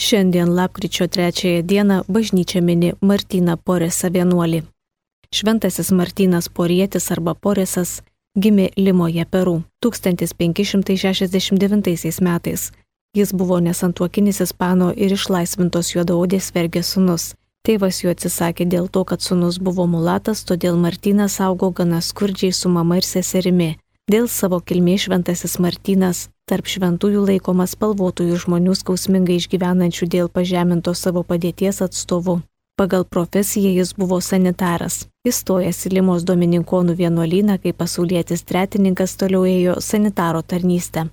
Šiandien lapkričio 3 dieną bažnyčia mini Martyną Poresą vienuolį. Šventasis Martynas Porietis arba Poresas gimė Limoje, Peru 1569 metais. Jis buvo nesantuokinis ispano ir išlaisvintos juodaodės vergės sūnus. Tėvas jo atsisakė dėl to, kad sūnus buvo mulatas, todėl Martynas augo gana skurdžiai su mama ir seserimi. Dėl savo kilmės šventasis Martynas tarp šventųjų laikomas spalvotųjų žmonių skausmingai išgyvenančių dėl pažemintos savo padėties atstovų. Pagal profesiją jis buvo sanitaras. Įstojęs į Limos domininkonų vienuolyną kaip pasaulietis tretininkas toliau ėjo sanitaro tarnystę.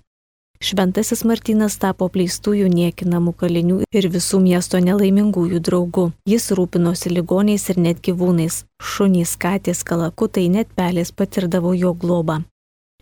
Šventasis Martynas tapo apleistųjų niekinamų kalinių ir visų miesto nelaimingųjų draugų. Jis rūpinosi ligoniais ir net gyvūnais. Šunys, katės, kalakutai, net pelės patirdavo jo globą.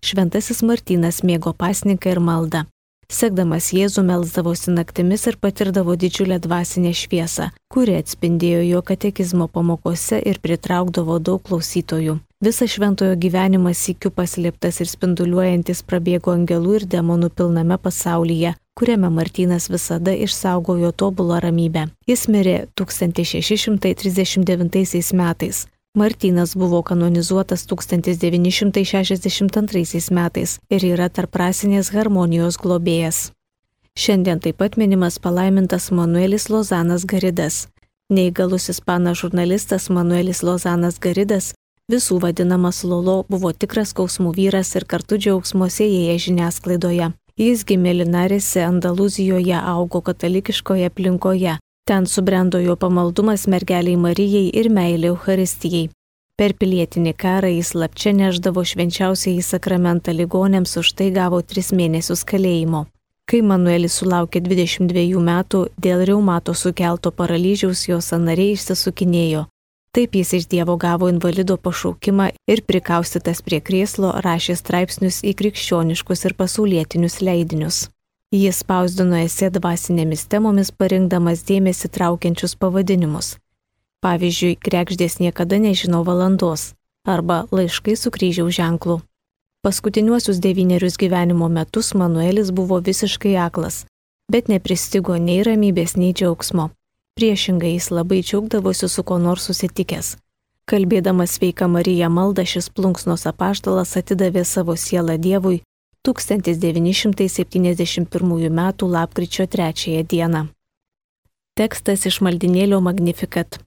Šventasis Martynas mėgo pasninką ir maldą. Sekdamas Jėzų melsdavosi naktimis ir patirdavo didžiulę dvasinę šviesą, kuri atspindėjo jo katekizmo pamokose ir pritraukdavo daug klausytojų. Visą šventojo gyvenimą sykiu paslėptas ir spinduliuojantis prabėgo angelų ir demonų pilname pasaulyje, kuriame Martynas visada išsaugojo tobulą ramybę. Jis mirė 1639 metais. Martynas buvo kanonizuotas 1962 metais ir yra tarprasinės harmonijos globėjas. Šiandien taip pat minimas palaimintas Manuelis Lozanas Garidas. Neįgalus ispanas žurnalistas Manuelis Lozanas Garidas, visų vadinamas Lolo, buvo tikras skausmų vyras ir kartu džiaugsmo sėjėjas žiniasklaidoje. Jis gimė Linarėse, Andalūzijoje, augo katalikiškoje aplinkoje. Ten subrendo jo pamaldumas mergeliai Marijai ir meilė Eucharistijai. Per pilietinį karą jis slapčia neždavo švenčiausiąjį sakramentą ligoniams, už tai gavo 3 mėnesius kalėjimo. Kai Manuelis sulaukė 22 metų, dėl reumato sukelto paralyžiaus jo sąnariai išsisukinėjo. Taip jis iš Dievo gavo invalido pašaukimą ir prikaustytas prie krėslo rašė straipsnius į krikščioniškus ir pasaulietinius leidinius. Jis spausdino esė dvasinėmis temomis, parinkdamas dėmesį traukiančius pavadinimus. Pavyzdžiui, Kregždės niekada nežino valandos arba Laiškai su kryžiaus ženklu. Paskutiniuosius 9 gyvenimo metus Manuelis buvo visiškai aklas, bet nepristigo nei ramybės, nei džiaugsmo. Priešingai jis labai džiaugdavosi su kuo nors susitikęs. Kalbėdamas Sveika Marija maldą, šis plunksnos apaštalas atidavė savo sielą Dievui 1971 m. lapkričio 3 dieną. Tekstas iš maldynėlio Magnificat.